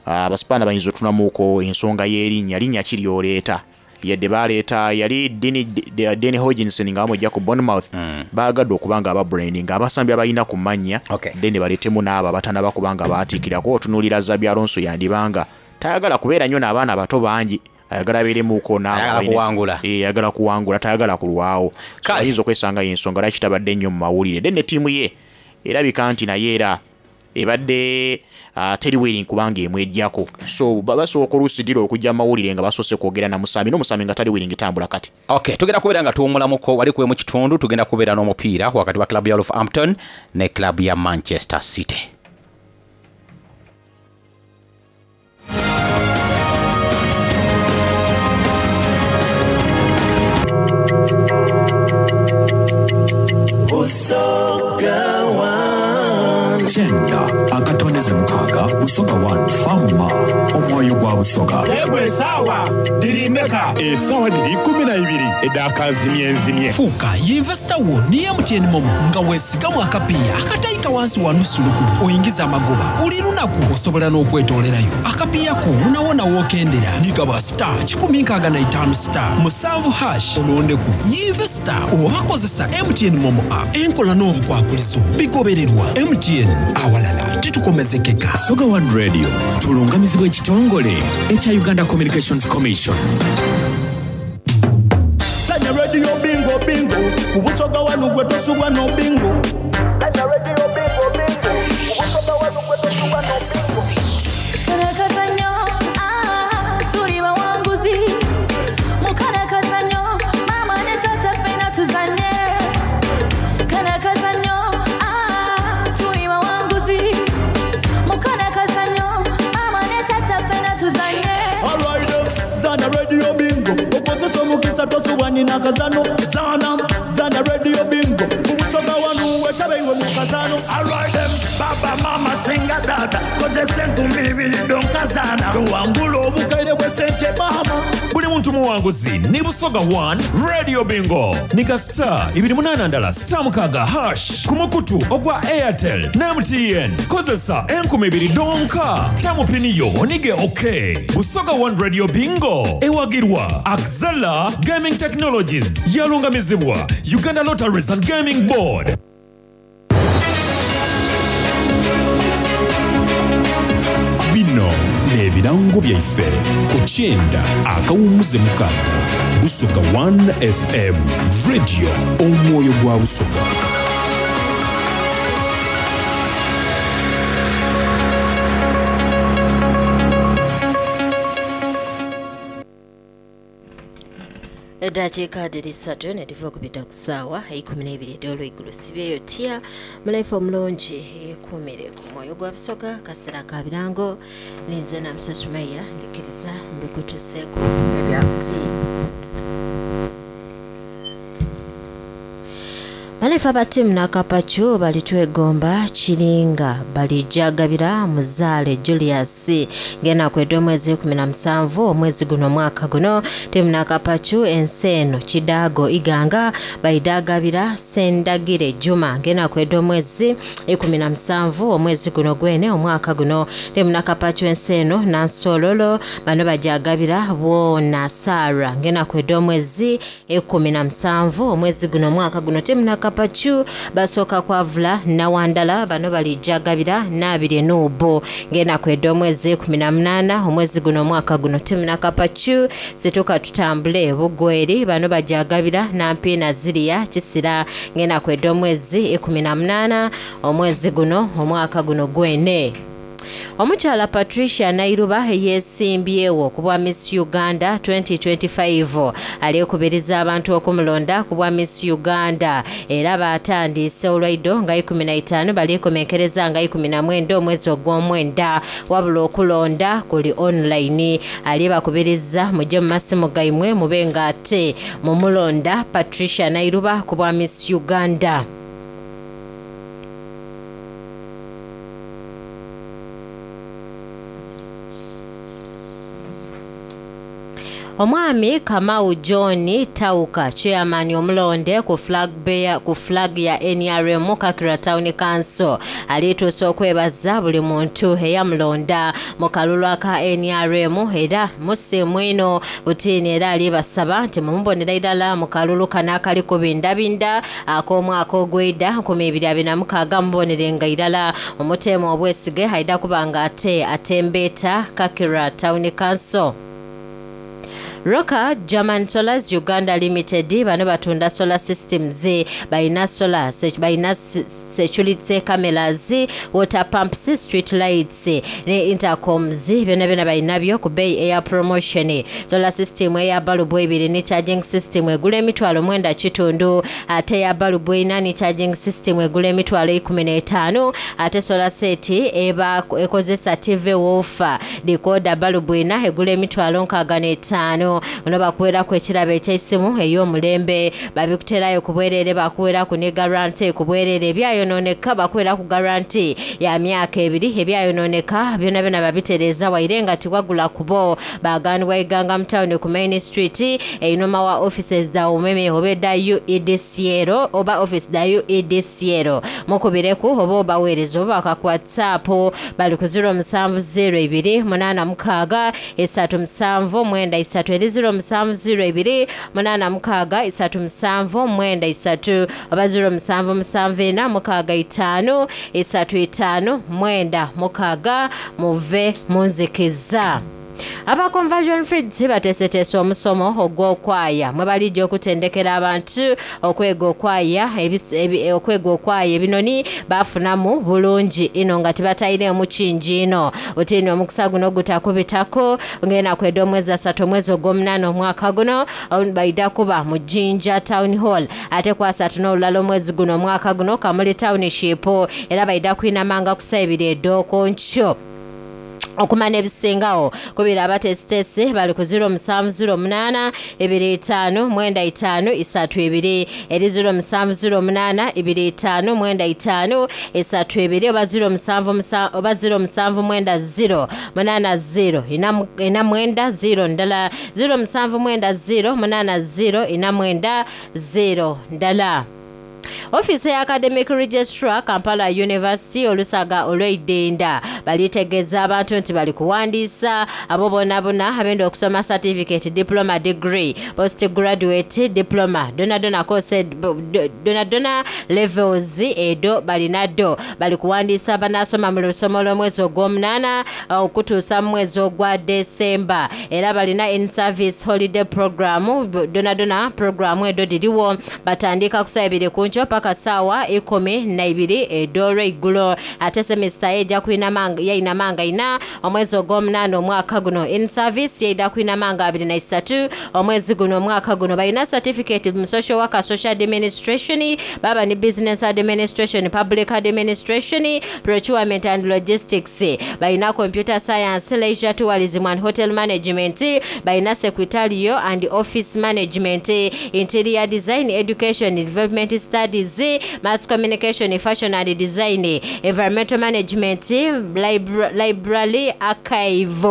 Abaspaana bayinza otunamuuko ensonga y'erinnya, linnya ki ly'oleeta? Yadde baleeta yali Danny Hodgkinson nga bamujja ku Bournemouth, baagadde okuba nga ababrandinga abasambi abalina ku mannya, then baleetemu n'abo abatanaba kuba nga baatiikirako. Otunuulira Xabi Alonso yandibanga tayagala kubeera nnyo n'abaana bato bangi, ayagala abeeremuuko n'abo Ayagala abalina kuwangula. Ayagala kuwangula, tayagala kulwawo. So Kale. ayinza okwesanga y'ensonga lwaki tabadde nnyo mu mawulire. Then ne ttiimu ye erabika nti naye era ebadde teri willing kubanga emwejjako. So basooka oluusi dira okujja mu mawulire nga basoose kwogera na musambi, n'omusambi nga tali willing tambula kati. Okay, tugenda kubeera nga tuwummulamuko wali kuwe mu kitundu, tugenda kubeera n'omupiira wakati wa club ya Wolverhampton ne club ya Manchester City. Busoga One. Kyenda akatondeze mukaaga Busoga 1 Fama omwoyo gwa Busoga. Yegwe esaawa diri meka? Esaawa diri 12 edakazimyenzimye. Fuuka yinvesita wo ni MTN Momo nga weesigamu akapiiya akatayika wansi wa nusu lukumi oyingiza amagoba buli lunaku. Osobola n'okwetoolerayo akapiiya ko wonawona w'okendera. Nigaba star kikumi nkaaga na itaano star musanvu hash olondeku yinvesita oba kozesa MTN Momo app. Enkola n'obukwakulizo bigobererwa MTN awalala titukomezekeka. Busoga 1 Radio tulungamizibwa ekitongole ekya Uganda Communications Commission. Sanya Radio Bingo Bingo ku Busoga 1 gwe tosubwa no bingo. Sanya Radio Bingo Bingo ku Busoga 1 gwe tosubwa no bingo. Karakazanyo, tuli bawanguzi. Mukarakazanyo, mama ne tata ffena tuzanye. Karakazanyo, tuli bawanguzi. Mukarakazanyo, mama ne tata ffena tuzanye. All right, Zana Radio Bingo. Okozesa omukisa tosubwa nina kazano. Zana, Zana Radio Bingo. Ku Busoga 1 wetabe iwe mu kazano. All right, them, baba, mama, singa dada. Kozesa enkumi ibiri donkazana. Tuwangula obukaire bwe sente mama. Buli muntu muwanguzi ni Busoga 1 Radio Bingo. Nika star ibiri munana ndala star mukaaga hash ku mukutu ogwa Airtel ne MTN. Kozesa enkumi ibiri donka. Tamu pini yo onige okay. Busoga 1 Radio Bingo ewagirwa Axela Gaming Technologies. Yalungamizibwa Uganda Lotteries and Gaming Board. Bino n'ebirango byaife ku kyenda akawummuze mukaaga Busoga 1 FM Radio omwoyo gwa Busoga. Eddakiika dhiri ssatu ne dhiva okubita ku ssaawa eikumi n'eibiri edh'olweigulo. Sibyeyo tya mulaife omulungi yeekuumire ku mwoyo gwa Busoga kaseera ka birango ninze Namusa Sumaya ndikiriza mbikutuseeku ebyabuti. Balefa ba ttiimu n'akapacu balitwegomba kiringa balijagabira muzaale Julius ng'enaku edh'omwezi 17 omwezi guno omwaka guno. Ttiimu n'akapacu ensi eno Kidaago Iganga baidagabira Sendagire Juma ng'enaku edh'omwezi 17 omwezi guno gwene omwaka guno. Ttiimu n'akapacu ensi eno Nansololo bano bajagabira Bwona Sarah ng'enaku edh'omwezi 17 omwezi guno omwaka guno. Ttiimu n'akapacu basooka kwavula Nawandala bano balijagabira Naabiri Nuubu ng'enaku edh'omwezi 18 omwezi guno omwaka guno. Ttiimu n'akapacu situka tutambule Bugweri bano bajagabira Nampiina Ziriya Kisira ng'enaku edh'omwezi 18 omwezi guno omwaka guno gwene. Omukyala Patricia Nairuba yeesimbyewo ku bwa Miss Uganda 2025 alekubiriza abantu okumulonda ku bwa Miss Uganda era batandiise olwaido nga ikumi na itaano balikomenkereza nga ikumi na mwenda omwezi ogw'omwenda wabula okulonda kuli online. Alibakubiriza mujje mu masimu gaimwe mube nga ate mumulonda Patricia Nairuba ku bwa Miss Uganda. Omwami Kamau John Tauka, chairman omulonde ku flag bear ku flag ya NRM Kakira Town Council, alituusa okwebaza buli muntu eyamulonda mu kalulu aka NRM era musiimu ino butiini era alibasaba nti mumubonera irala mu kalulu kano akali kubindabinda ak'omwaka ogw'eida 2026 mubonerenga irala omuteemu obwesige aida kuba nga ate atembeeta Kakira Town Council. Roka German Solars Uganda Limited bano batunda solar systems, balina solar, balina security cameras, water pumps, street lights ne intercoms, byonna byonna balinabyo ku bbeeyi eya promotion. Solar system eya balubu ebiri ne charging system egula emitwalo 9.5, ate eya balubu ena ne charging system egula emitwalo 15, ate solar set eba ekozesa TV woofer decoder balubu ena egula emitwalo 65. Ono bakuweraku ekirabo eky'essimu ey'omulembe, babikuterayo ku bwereere, bakuweraku ne guarantee ku bwereere, ebyayonooneka bakuweraku guarantee ya myaka 2, ebyayonooneka byonna byonna babitereeza waire nga tiwagula kubo. Baganibwa Iganga mu town ku Main Street einuma wa offices da umeme oba edda UEDCL oba office da UEDCL, mukubireku oba obaweereza oba baka ku WhatsApp bali ku 0702 86 37 93 eri 0702 86 37 93 oba 0774 65 35 96 muve munzikiza. Aba Conversion Fridge bateeseteese omusomo ogw'okwaya mwe balijja okutendekera abantu okwega okwaya okwega okwaya ebinoni bafunamu bulungi ino nga tibatayireemu kingi ino. Otiini omukisa guno gutakubitako ng'enaku kweda omwezi 3 omwezi ogw'omunaana omwaka guno baida kuba mu Jinja Town Hall, ate ku 3 n'olulala omwezi guno omwaka guno Kamuli Township, era baida kwinamanga ku ssaawa 2 ed'okonkyo. Okumanya ebisingawo kubira abateesiteesi bali ku 0708 25 95 32 eri 0708 25 95 32 oba 07 oba 0790 80 49 0 ndala 0790 80 49 0 ndala. Ofiisi ya Academic Registrar Kampala University olusaga olw'eidenda balitegeeza abantu nti bali kuwandiisa abo bonna bonna abenda okusoma certificate, diploma, degree, postgraduate diploma, dona dona course, dona dona levels edo balinaddo bali kuwandiisa banasoma mu lusomo lw'omwezi ogw'omunaana okutuusa mu mwezi ogwa December. Era balina in service holiday program, dona dona program edo diriwo batandika ku ssaawa 2 ku nkyo paka ssaawa 12 ed'olweggulo, ate semester ejja yayinamanga ina omwezi ogw'omunaana omwaka guno. In service yeida kwinamanga 23 omwezi guno omwaka guno. Balina certificate mu social worker, social administration, baba ni business administration, public administration, procurement and logistics, balina computer science, leisure tourism and hotel management, balina secretarial and office management, interior design, education, development studies, mass communication, fashion and design, environmental management, library archive,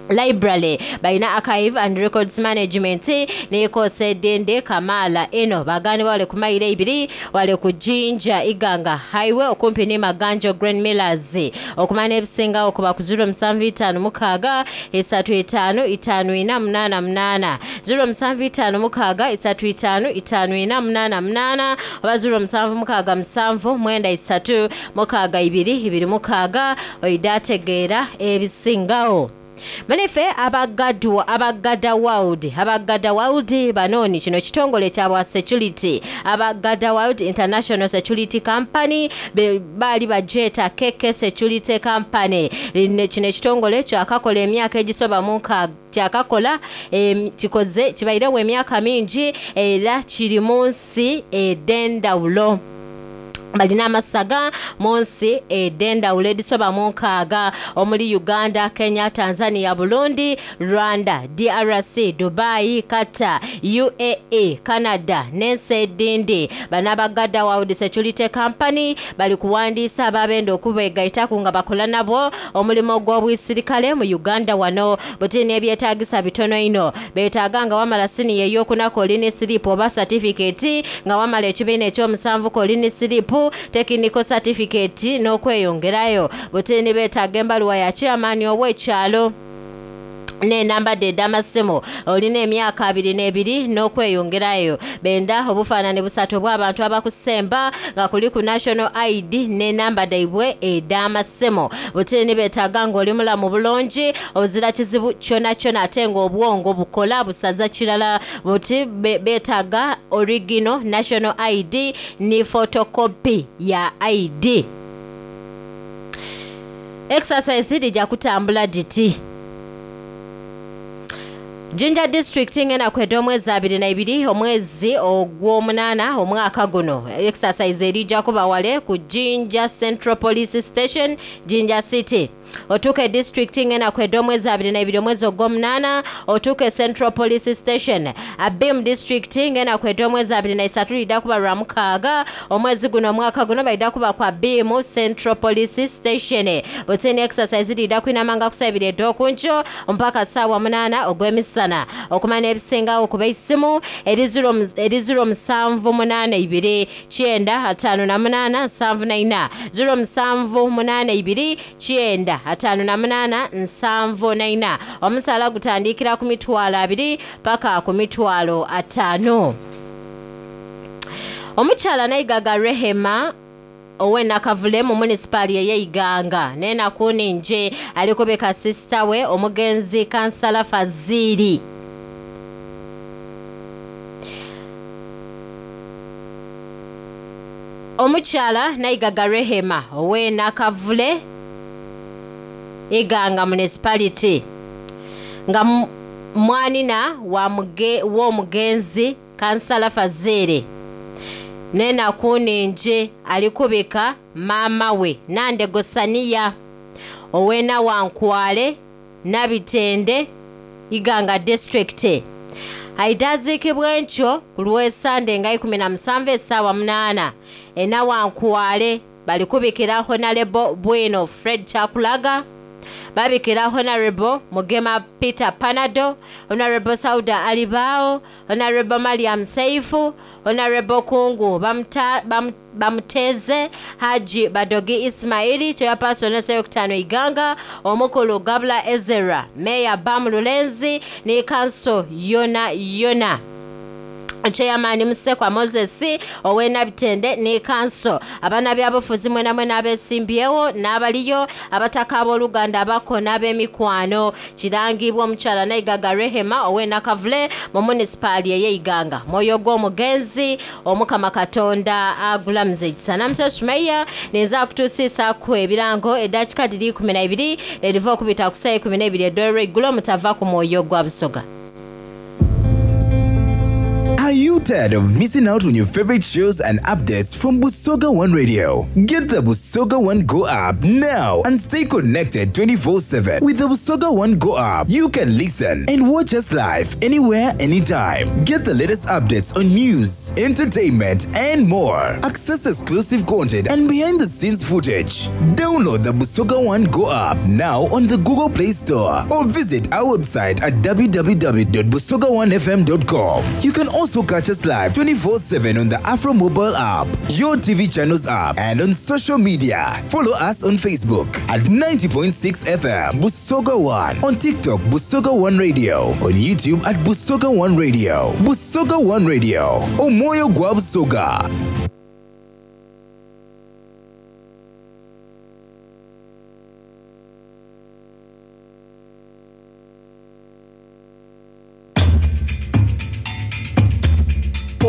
library balina archive and records management nekosa edende Kamala eno bagani wale ku mayiro 2 wale ku Jinja Iganga Highway okumpi ne Maganjo Grand Millers. Okumanya ebisingawo kuba ku 0756 35 5488 0756 35 5488 oba 0767 93 62 26 oida ategeera ebisingawo. Manife abagada world banoni kino kitongole kyabwa security, abagada world international security company bali bajeta KK security company. Kino kitongole kyakakola emyaka egisoba mu kyakakola kikoze kibairewo emyaka mingi era kiri mu nsi ed'endawulo. Balina amasaga mu nsi edh'endhawulo edhisoba mu nkaaga omuli Uganda, Kenya, Tanzania, Burundi, Rwanda, DRC, Dubai, Qatar, UAE, Canada n'ensi edhindi. Bano aba Gada World Security Company bali kuwandiisa ababenda okubegaitaku nga bakola nabo omulimo gw'obwisirikale mu Uganda wano. Buti n'ebyetagisa bitono inho. Beetaaga nga wamala siniya ey'okunaku oli ni siripu oba satifikeeti, nga wamala ekibiina eky'omusanvu k'oli ni siripu, tekiniko satifikeeti n'okweyongerayo. Buti ni beetaaga embaluwa ya chairman ow'ekyalo n'enamba dhe edh'amasimu, olina emyaka 22 n'okweyongerayo. Benda obufaanani busatu obw'abantu abakusemba nga kuliku National ID n'enamba dhaibwe edh'amasimu. Buti ni beetaaga ng'oli mulamu bulungi, ozira kizibu kyonakyona ate ng'obwongo bukola busaza kirala. Buti beetaaga original National ID ni photocopy ya ID. Exercise dhija kutambula dhiti. Jinja District ng'enaku edh'omwezi 22 omwezi ogw'omunaana omwaka guno. Exercise erija kuba wale ku Jinja Central Police Station, Jinja City. Otuuka e district ng'enaku edh'omwezi 22 omwezi ogw'omunaana otuuka e Central Police Station. Abim District ng'enaku edh'omwezi 23 lidha kuba lwa mukaaga omwezi guno omwaka guno baidha kuba ku Abim Central Police Station. Butini exercise lidha kwinamanga ku saa ibiri edh'okunkyo mpaka saawa munaana ogw'emisana. Okumanya ebisingawo kuba eisimu eri ziro musanvu munaana ibiri kyenda ataano na munaana nsanvu na ina, 0782 958 74. Omusaala gutandikira ku mitwalo abiri paka ku mitwalo ataano. Omukyala Naigaga Rehema ow'e Nakavule mu munisipaali ey'Eiganga n'enaku nningi ali kubika sisita we omugenzi Kansala Fazili. Omukyala Naigaga Rehema ow'e Nakavule Iganga Municipality nga mwanina w'omugenzi Kansala Fazili n'enaku nningi ali kubika maama we Nandego Saniya ow'e Nawankwale Nabitende Iganga District. Aidha aziikibwa enkyo ku lw'Esande nga 17 essaawa 8 e Nawankwale. Bali kubikira Honorable Bwino Fred Kyakulaga, babikira Honorable Mugema Peter Panado, Honorable Sauda Alibao, Honorable Mariam Seifu, Honorable Kungu Bamuteze, Haji Badogi Ismaili, Chairperson Seyokutano Iganga, Omukulu Gabula Ezera, Mayor Bam Lulenzi ni Kanso Yona Yona. Chairman Musekwa Moses ow'e Nabitende ni Kanso. Abaana byabufuzi mwena mwena abesimbyewo n'abaliyo, abataka ab'oluganda abako n'ab'emikwano. Kirangibwa omukyala Naigaga Rehema ow'e Nakavule mu munisipaali ey'Eiganga. Mwoyo gw'omugenzi Omukama Katonda agulamuze ekisa. Namusa Sumayya ninza akutuusiisaaku ebirango eddakiika dhiri 12 n'eriva okubita ku ssaawa 12 edh'olweigulo mutava ku mwoyo gwa Busoga. Are you tired of missing out on your favorite shows and updates from Busoga One Radio? Get the Busoga One Go app now and stay connected 24/7. With the Busoga One Go app, you can listen and watch us live anywhere, anytime. Get the latest updates on news, entertainment, and more. Access exclusive content and behind the scenes footage. Download the Busoga One Go app now on the Google Play Store or visit our website at www.busoga1fm.com. You can also catch us live 24/7 on the Afro Mobile app, your TV channels app, and on social media. Follow us on Facebook at 90.6 FM Busoga One, on TikTok Busoga One Radio, on YouTube at Busoga One Radio. Busoga One Radio, Omoyo gwa Busoga.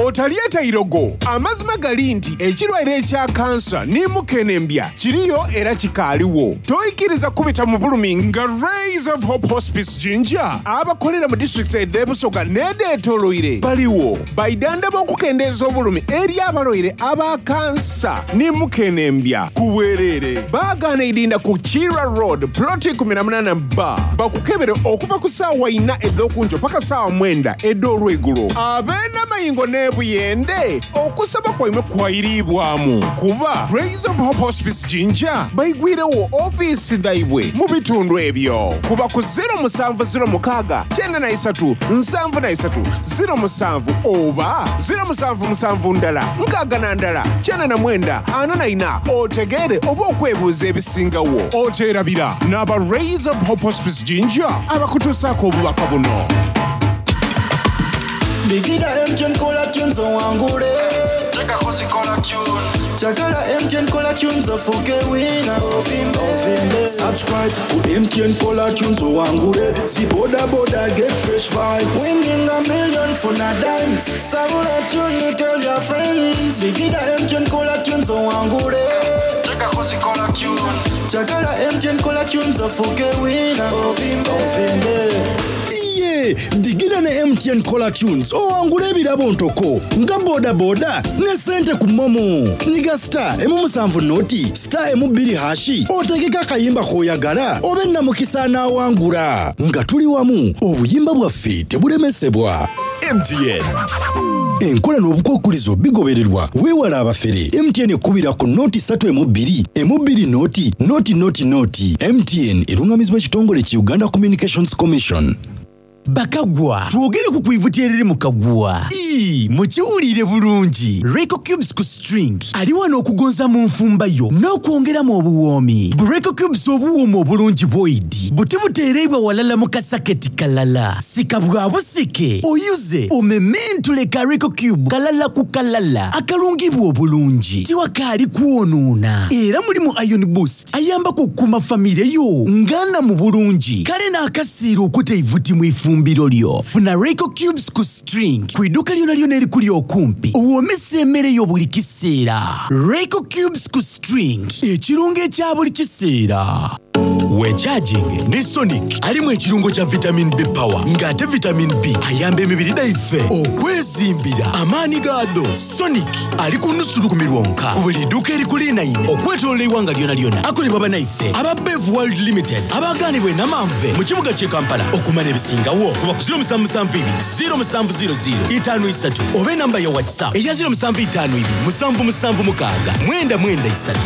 Otalyeta irogo. Amazima gali nti ekirwaire ekya kansa ni mukenembya kiriyo era kikaaliwo. Toikiriza kubita mu bulumi nga Rays of Hope Hospice Jinja abakolera mu disitulikiti edh'e Busoga n'edheetooloire baliwo. Baidhandhaba okukendeeza obulumi eri abalwaire aba kansa ni mukenembya ku bwereere. Baagaana idinda ku Kiira Road, ploti 18B. Bakukebere okuva ku saawa ina edh'okunkyo paka saawa mwenda edh'olweigulo. Ab'e Namayingo n'e Buyende, okusaba kwaimwe kwairiibwamu kuba Rays of Hope Hospice Jinja baigwirewo ofiisi dhaibwe mu bitundu ebyo. Kuba ku 0706 93 73 07 oba 077 61 94 44 otegeere oba okwebuuza ebisingawo. Oteerabira n'aba Rays of Hope Hospice Jinja abakutuusaako obubaka buno. Bigida MTN kola tunes owangule. Chagala MTN kola tunes ofuke wina. Ovimbe. Subscribe ku MTN kola tunes owangule. Si boda boda get fresh vibes. Winning a million for a dimes. Sabula tune tell your friends. Bigida MTN kola tunes owangule. Chagala MTN kola tunes ofuke wina. Ovimbe. Iye digida ne MTN Caller Tunes owangule ebirabo ntoko nga bodaboda ne sente ku momo. Nyiga star emu musanvu noti star emu bbiri hashi otegeke akayimba k'oyagala obe namukisa anaawangula. Nga tuli wamu obuyimba bwaffe tebulemesebwa. MTN. Enkola n'obukwakulizo bigobererwa weewala abafere. MTN ekubira ku noti ssatu emu bbiri emu bbiri noti noti noti noti. MTN erungamizibwa ekitongole ki Uganda Communications Commission. Bakagwa twogere ku kwivuti eriri mu kagwa. Ii, mukiwulire bulungi. Reco Cubes ku string ali wano okugonza mu nfumba yo n'okwongeramu obuwoomi. Bu Reco Cubes obuwooma obulungi bwoidi buti buteereibwa walala mu kasaketi kalala. Sika bwa busike oyuze omementule ka Reco Cube kalala ku kalala akalungibwa obulungi tiwakaali kwonoona. Era mulimu Iron Boost ayambako okukuuma famire yo ngana mu bulungi kale n'akasiira okuta eivuti mu ifumbiro lyo. Funa Reco Cubes ku string ku idduuka lyona lyona erikuli okumpi owoomesa emmere yo buli kiseera. Reco Cubes ku string ekirungo ekya buli kiseera. Wekyajinge ne Sonic alimu ekirungo kya vitamin B power ng'ate vitamin B ayamba emibiri gyaffe okwezimbira amaanyi gaadho. Sonic ali ku nusu lukumi lwonka ku buli dduuka erikulinaine okwetoolola eggwanga lyona lyona. Akolebwa bannaife aba Bev World Limited abagaanibwa enamanve mu kibuga ky'e Kampala. Okumanya ebisingawo kuba ku 0772 0700 53 oba enamba ya WhatsApp eya 0752 776 993.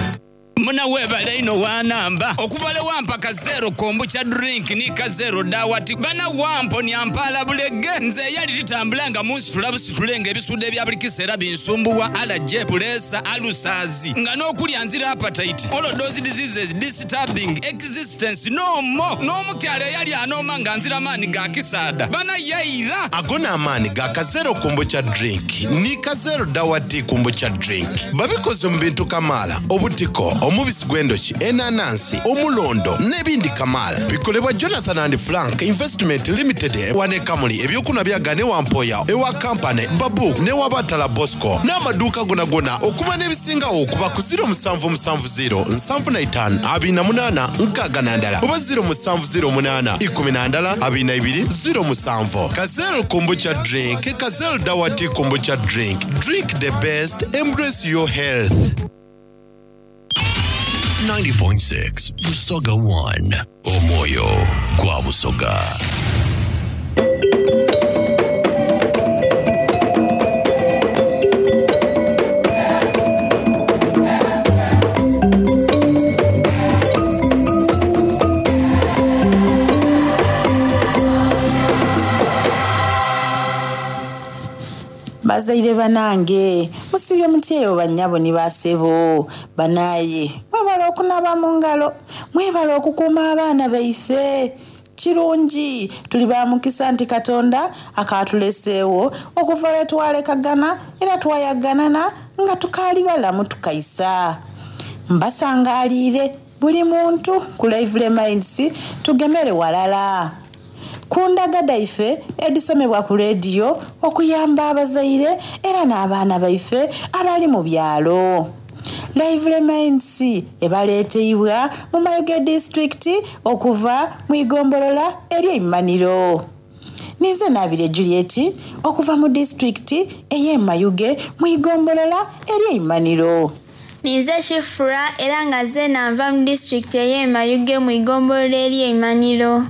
Muna webale ino wanamba okuva le wampa kazero kombucha drink ni kazero dawati bana wampo nyampala bulege nze yali litambula nga munsitula busitule nga ebisude ebya buli kiseera binsumbuwa allergy pulesa alusazi nga n'okulya nzira appetite all of those diseases disturbing existence no more n'omukyala eyali anooma nga nzira maani ga kisaada bana yaira. Ago n'amaani ga kazero kombucha drink ni kazero dawati kombucha drink babikoze mu bintu kamaala obutiko omubisi gw'endoki enanansi omulondo n'ebindi kamaala bikolebwa Jonathan and Frank Investment Limited wane Kamuli ebyokunwa byagane wampoya ewa kampani babu ne Batala Bosco n'amaduuka gonagona okuba n'ebisingawo okuba ku 0770 75 28 61 oba 0708 11 22 07. Kazel kombucha drink, Kazel dawati kombucha drink. Drink the best, embrace your health. 90.6 Busoga 1 Omwoyo gwa Busoga. Bazaire banange musibye mutyeyo bannyabo ne basebo banaye mwebala okunaaba mu ngalo mwebala okukuuma abaana baife kirungi tuli ba mukisa nti Katonda akatuleseewo okuva lwe twalekagana era twayaganana nga tukaali balamu tukaisa mbasangaaliire buli muntu ku Lively Minds tugemere walala. Ku ndaga dhaife edhisomebwa ku leediyo okuyamba abazaire era n'abaana baife abali mu byalo. Lively Minds ebaleeteibwa mu Mayuge disitulikiti okuva mu igombolola ery'Eimaniro. Ninze Nabirye Juliet okuva mu disitulikiti ey'e Mayuge mu igombolola ery'Eimaniro. Ninze Shifura era nga zeena nva mu disitulikiti ey'e Mayuge mu igombolola ery'Eimaniro.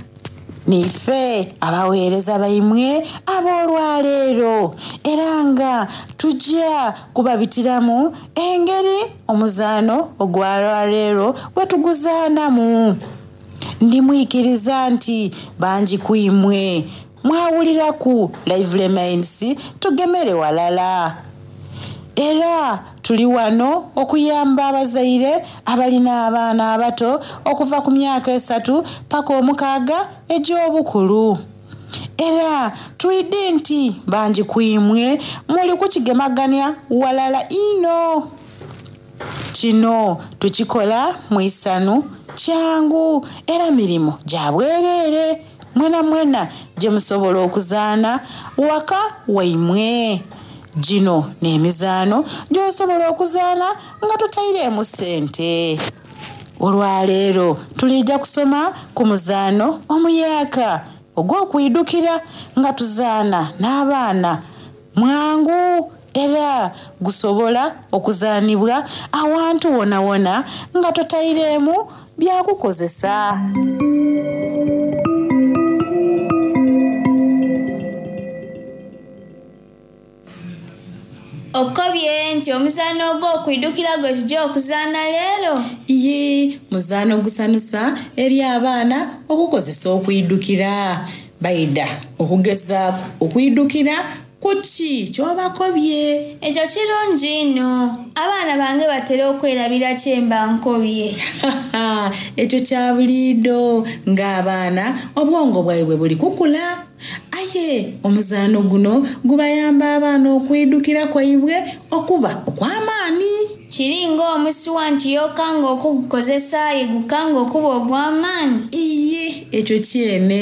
Niife abaweereza baimwe ab'olwaleero era nga tujja kubabitiramu engeri omuzaano ogw'olwaleero bwe tuguzaanamu. Ndimwikiriza nti bangi ku imwe mwawuliraku Lively Minds tugemere walala. Era tuli wano okuyamba abazaire abalina abaana abato okuva ku myaka 3 paka 6 egy'obukulu. Era twidi nti bangi ku imwe muli kukigemaganya walala inho. Kino tukikola mu isanu kyangu era mirimu gya bwereere mwena mwena gye musobola okuzaana waka waimwe. Gino n'emizaano gy'osobola okuzaana nga totaireemu ssente. Olwaleero tuliija kusoma ku muzaano omuyaaka ogw'okwidukira nga tuzaana n'abaana mwangu era gusobola okuzaanibwa awantu wonawona nga totaireemu byakukozesa. Okobye nti omuzaano ogw'okwidukira gwe tujja okuzaana leero? Ye, muzaano gusanusa eri abaana okukozesa okwidukira. Baida okugezaaku okwidukira ku ki ky'obakobye. Ekyo kirungi inho. Abaana bange batera okwerabira kye mba nkobye. Ekyo kya buliidho ng'abaana obwongo bwaibwe buli kukula. Aye omuzaano guno gubayamba abaana okwidukira kwaibwe okuba okw'amaani. Kiri ng'omusuwa nti y'okanga okugukozesa aye gukanga okuba ogw'amaani. Iye, ekyo kyene.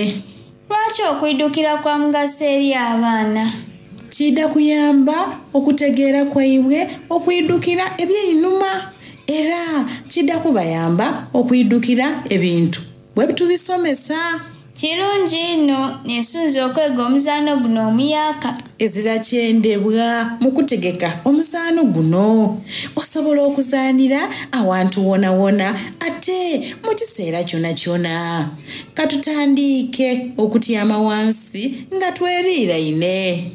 Lwaki okwidukira kwa mugaso eri abaana? Kida kuyamba okutegeera kwaibwe okwidukira eby'einhuma era kida kubayamba okwidukira ebintu bwe tubisomesa. Kirungi inho nesunze okwega omuzaano guno omuyaaka. Ezira kyendebwa mu kutegeka omuzaano guno. Osobola okuzaanira awantu wonawona ate mu kiseera kyonakyona. Katutandiike okutyama wansi nga tweriiraine.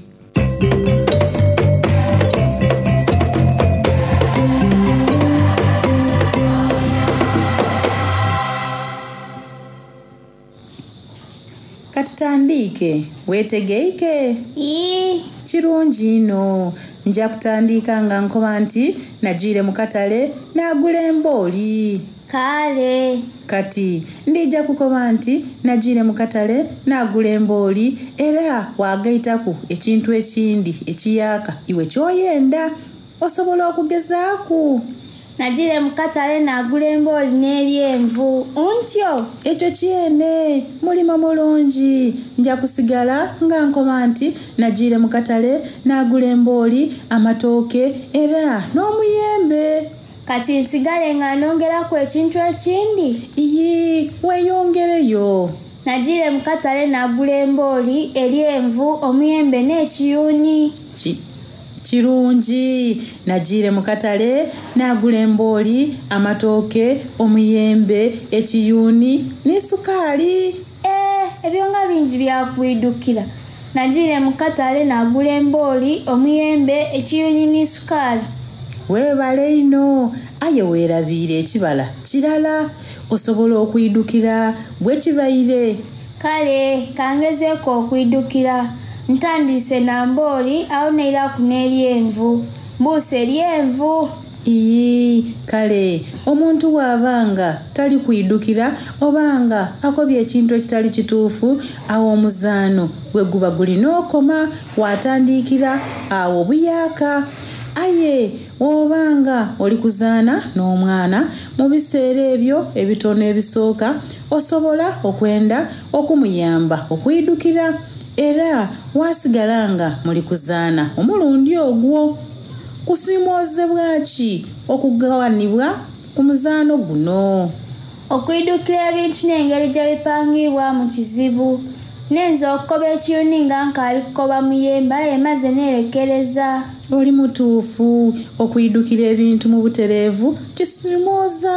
Katutandiike, weetegeike? Ii. Kirungi inho. Nja kutandiika nga nkoba nti nagiire mu katale naagula embooli. Kale. Kati ndija kukoba nti nagiire mu katale naagula embooli era waagaitaku ekintu ekindi ekiyaaka iwe ky'oyenda. Osobola okugezaaku. Nagiire mu katale naagula embooli n'eryenvu. Ntyo? Ekyo kyene. Mulimo mulungi. Nja kusigala nga nkoba nti nagiire mu katale naagula embooli, amatooke era n'omuyembe. Kati nsigale nga nongeraku ekintu ekindi? Iyi, weeyongereyo. Nagiire mu katale naagula embooli, eryenvu, omuyembe n'ekiyuuni. Kirungi. Nagiire mu katale naagula embooli, amatooke, omuyembe, ekiyuuni ni sukaali. Ebyo nga bingi byakwidukira. Nagiire mu katale naagula embooli, omuyembe, ekiyuuni ni sukaali. Weebale inho aye weerabiire ekibala kirala. Osobola okwidukira bwe kibaire. Kale kangezeeku okwidukira. Ntandiise na mbooli awo neiraku n'eryenvu. Mbuuse eryenvu. Ii, kale omuntu bw'aba nga tali kwidukira oba nga akobye ekintu ekitali kituufu, awo omuzaano bwe guba gulina okoma waatandikira awo buyaaka. Aye oba nga oli kuzaana n'omwana mu biseera ebyo ebitono ebisooka, Osobola okwenda okumuyamba okwidukira era wasigala nga muli kuzaana omulundi ogwo. Kusiimoozebwa ki okugawanibwa ku muzaano guno? Okwidukira ebintu n'engeri gye bipangibwamu kizibu. Nenza okukoba ekiyuni nga nkaali kukoba muyembe aye maze neerekereza. Oli mutuufu, okwidukira ebintu mu butereevu kisimooza.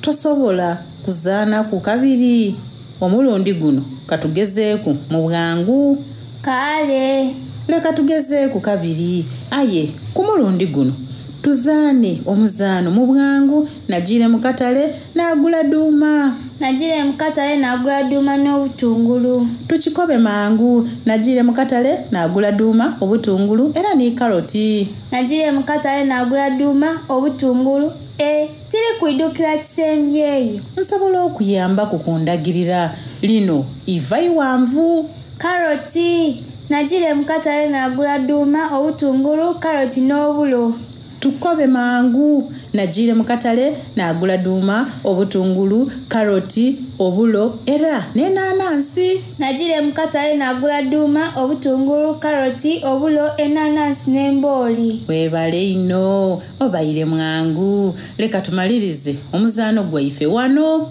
Tosobola kuzaanaku kabiri? Omulundi guno katugezeeku mu bwangu. Kale. Leka tugezeeku kabiri aye ku mulundi guno tuzaane omuzaano mu bwangu. Nagiire mu katale naagula duuma. Nagiire mu katale naagula duuma n'obutungulu. Tukikobe mangu. Nagiire mu katale naagula duuma, obutungulu era ni karoti. Nagiire mu katale naagula duuma, obutungulu, e tiri kwidukira kisembyeyo. Nsobola okuyambaku ku ndagirira. Lino iva iwanvu. Karoti! Nagiire mu katale naagula duuma, obutungulu, karoti n'obulo. Tukobe mangu. Nagiire mu katale naagula duuma, obutungulu, karoti, obulo era n'enanansi. Nagiire mu katale naagula duuma, obutungulu, karoti, obulo, enanansi n'embooli. Weebale inho, obaire mwangu. Leka tumalirize omuzaano gwaife wano.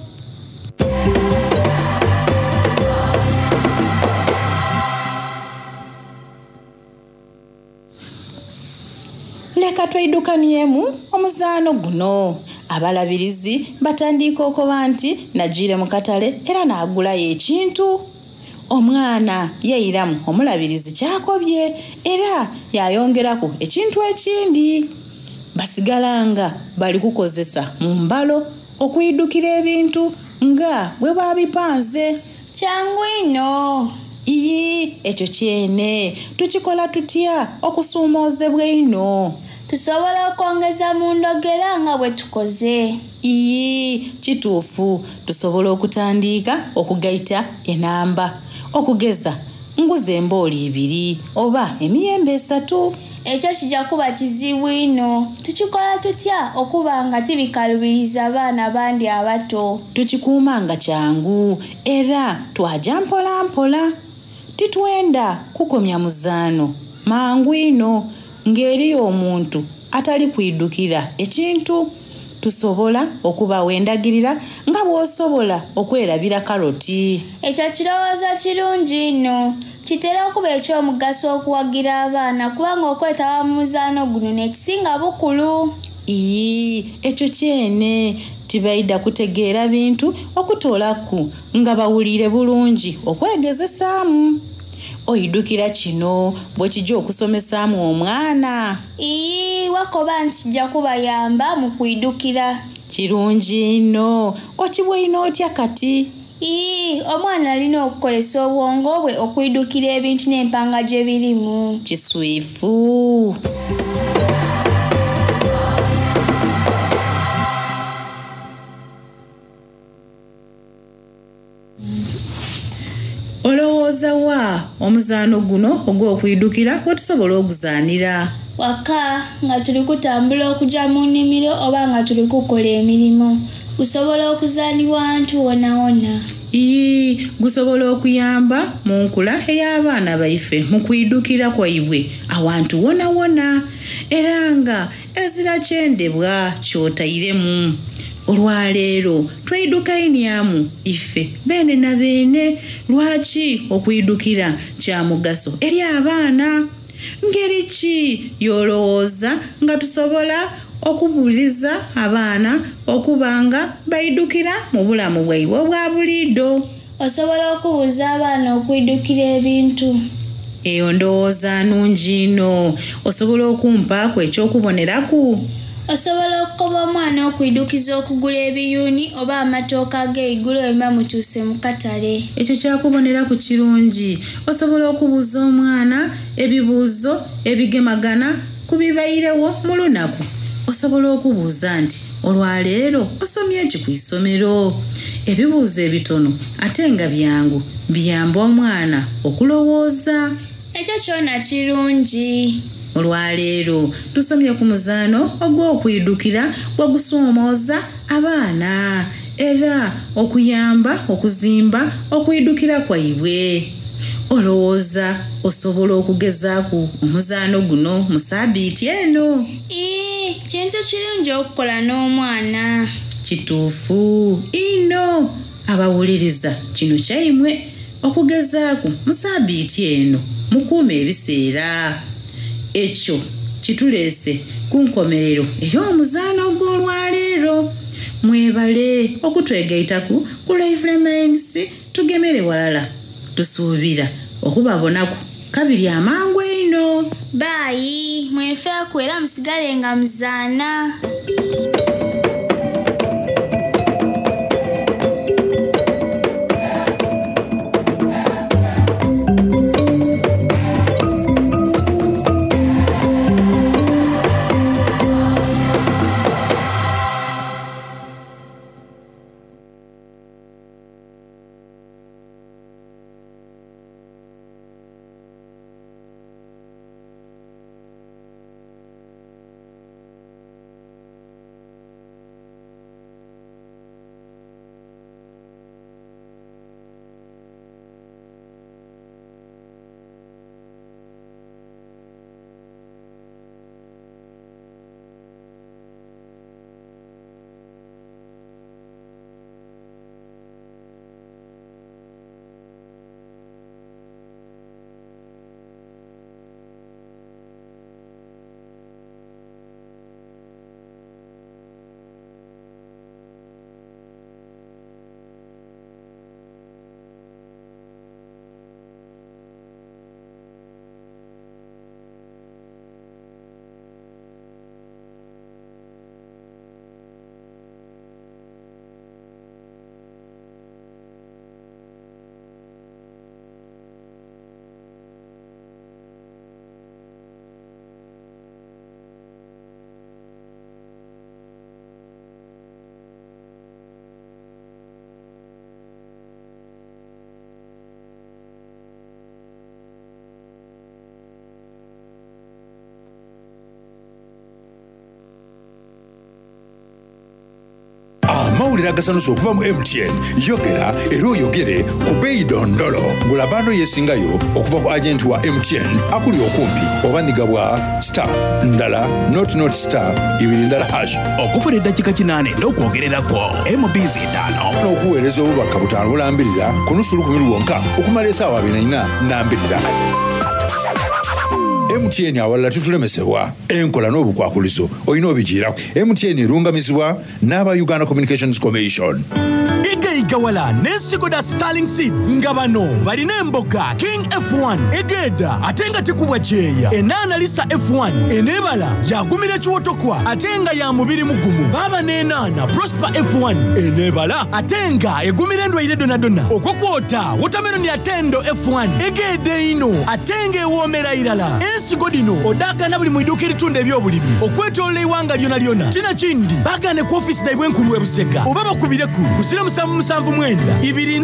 Leka tweidukaniemu omuzaano guno. Abalabirizi batandiika okoba nti nagiire mu katale era naagulayo ekintu. Omwana yeiramu omulabirizi kyakobye era yayongeraku ekintu ekindi. Basigala nga bali kukozesa mu mbalo okwidukira ebintu nga bwe babipanze. Kyangu inho. Iyi, ekyo kyene. Tukikola tutya okusuumoozebwa einho? Tusobola okwongeza mu ndhogera nga bwe tukoze. Iyi, kituufu. Tusobola okutandiika okugaita enamba. Okugeza, nguza embooli ibiri oba emiyembe esatu. Ekyo kijja kuba kizibu inho. Tukikola tutya okuba nga tibikalubiriza baana bandi abato? Tukikuuma nga kyangu era twaja mpola mpola. Titwenda kukomya muzaano mangu inho ng'eriyo omuntu atali kwidukira ekintu. Tusobola okubawa endagirira nga bw'osobola okwerabira karoti. Ekyo kirowoozo kirungi inho. Kitera okuba eky'omugaso okuwagira abaana kubanga okwetaba mu muzaano guno n'ekisinga bukulu. Iyi, ekyo kyene. Tibaidha kutegeera bintu okutoolaku nga bawuliire bulungi okwegezesaamu. Oidukira kino bwe kija okusomesaamu omwana? Iyi, wakoba nti kijja kubayamba mu kwidukira. Kirungi inho. Okibweine otya kati? Iyi, omwana alina okukozesa obwongo bwe okwidukira ebintu n'empanga gye birimu. Kiswifu. Olowooza wa omuzaano guno ogw'okwidukira wetusobola oguzaanira? Waka, nga tuli kutambula okuja mu nnimiro oba nga tuli kukola emirimo. Gusobola okuzaanibwa awantu wonawona. Ii, gusobola okuyamba mu nkula ey'abaana baife mu kwidukira kwaibwe awantu wonawona era nga ezira kyendebwa ky'otairemu. Olwaleero tweidukainyamu ife beene na beene lwaki okwidukira kya mugaso eri abaana. Ngeri ki y'olowooza nga tusobola okubuliza abaana okuba nga baidukira mu bulamu bwaibwe obwa buliido? Osobola okubuuza abaana okwidukira ebintu. Eyo ndowooza nnungi inho. Osobola okumpaaku eky'okuboneraku? Osobola okukoba omwana okwidukiza okugula ebiyuni oba amatooke ag'eigulo bwe mutuuse mu katale. Ekyo kyakuboneraku kirungi. Osobola okubuuza omwana ebibuuzo ebigemagana ku bibairewo mu lunaku. Osobola okubuuza nti olwaleero osomye ki ku isomero? Ebibuuzo ebitono ate nga byangu biyamba omwana okulowooza. Ekyo kyona kirungi. Olwaleero tusomye ku muzaano ogw'okwidukira bwe gusoomooza abaana. era okuyamba okuzimba okwidukira kwaibwe. Olowooza osobola okugezaaku omuzaano guno mu saabiiti eno? Ii, kintu kirungi okukola n'omwana. Kituufu inho! Abawuliriza kino kyaimwe okugezaaku mu saabiiti eno mukuume ebiseera. Ekyo kituleese ku nkomerero ey'omuzaano ogw'olwaleero. Mwebale okutwegaitaku ku Lively Minds tugemere walala. Tusuubira okubabonaku kabiri amangu einho. Baayi, mwefeeku era musigale nga muzaana. Amawulire agasanusa okuva mu MTN. Yogera era oyogere ku beeyi dondolo. Gula bando yesingayo okuva ku agenti wa MTN akuli okumpi oba nhiga bwa star ndala not not star ibiri ndala hash. Okufuna eddakiika 80 n'okwogererako MBs etaano. N'okuweereza obubaka butaano bulambirira ku nusu lukumi lwonka okumala esaawa 24 nambirira. MTN awalala titulemesebwa. Enkola n'obukwakulizo olina obijiiraku. MTN erungamizibwa n'aba Uganda Communications Commission. Igaigawala n'ensigo dha Starling Seeds nga bano balina emboga King F1 egeeda ate nga tekubwa kyeya, enaana Lisa F1 eneebala yaagumira ekiwotokwa ate nga ya mubiri mugumu, baaba n'enaana Prosper F1 eneebala ate nga egumira endwaire dhonadhona, okwo kwota wotameroni ya Tendo F1 egeeda einho ate nga ewoomera irala. Ensigo dhino odhaagaana buli mu iduuka eritunda eby'obulimi okwetoolola eighanga lyonalyona. Kino kindi baagaane ku ofiisi dhaibwe enkulu e Busega oba bakubireku ku 0779 40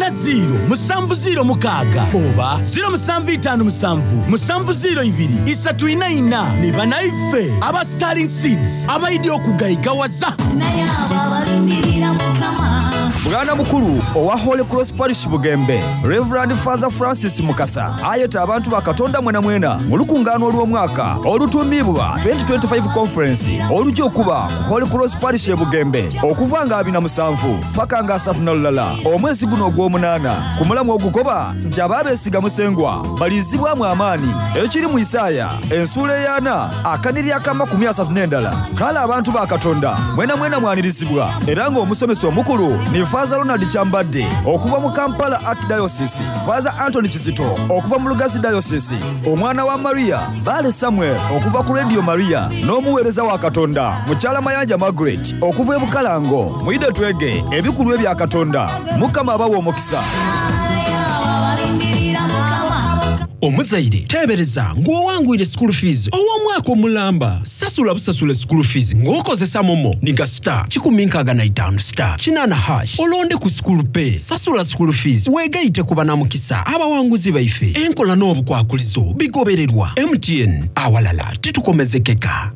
706 oba 0757 702 344. Ni banaife aba Sterling Seeds abaidhi okugaigawaza. Naye abo abalindirira Mukama. Bwana mukulu owa Holy Cross Parish Bugembe, Rev. Father Francis Mukasa ayeta abantu ba Katonda mwenamwena mu lukungaano olw'omwaka olutuumibwa 2025 Conference oluja okuba ku Holy Cross Parish e Bugembe okuva nga 27 paka nga 31 omwezi guno ogw'omunaana ku mulamwa ogukoba nti abo abeesiga Musengwa baliizibwamu amaani ekiri mu Isaaya ensuula eyaana akaniri ak'amakumi asatu n'endala. Kale abantu ba Katonda mwenamwena mwanirizibwa era nga omusomesa omukulu ni Faaza Ronald Kyambadde okuva mu Kampala Archdiocese, Faaza Anthony Kizito okuva mu Lugazi Diocese, omwana wa Maria Bbaale Samuel okuva ku Radio Maria n'omuweereza wa Katonda Mukyala Mayanja Margaret okuva e Bukalango. Mwidhe twege ebikulu ebya Katonda. Mukama abawe omukisa. Omuzaire teebereza ng'owangwire school fees ow'omwaka omulamba. Sasula busasule school fees ng'okozesa momo ni ga star 165 star 8 hash olonde ku school pay. Sasula school fees weegaite ku banamukisa abawanguzi baife. Enkola n'obukwakulizo bigobererwa. MTN awalala titukomezekeka.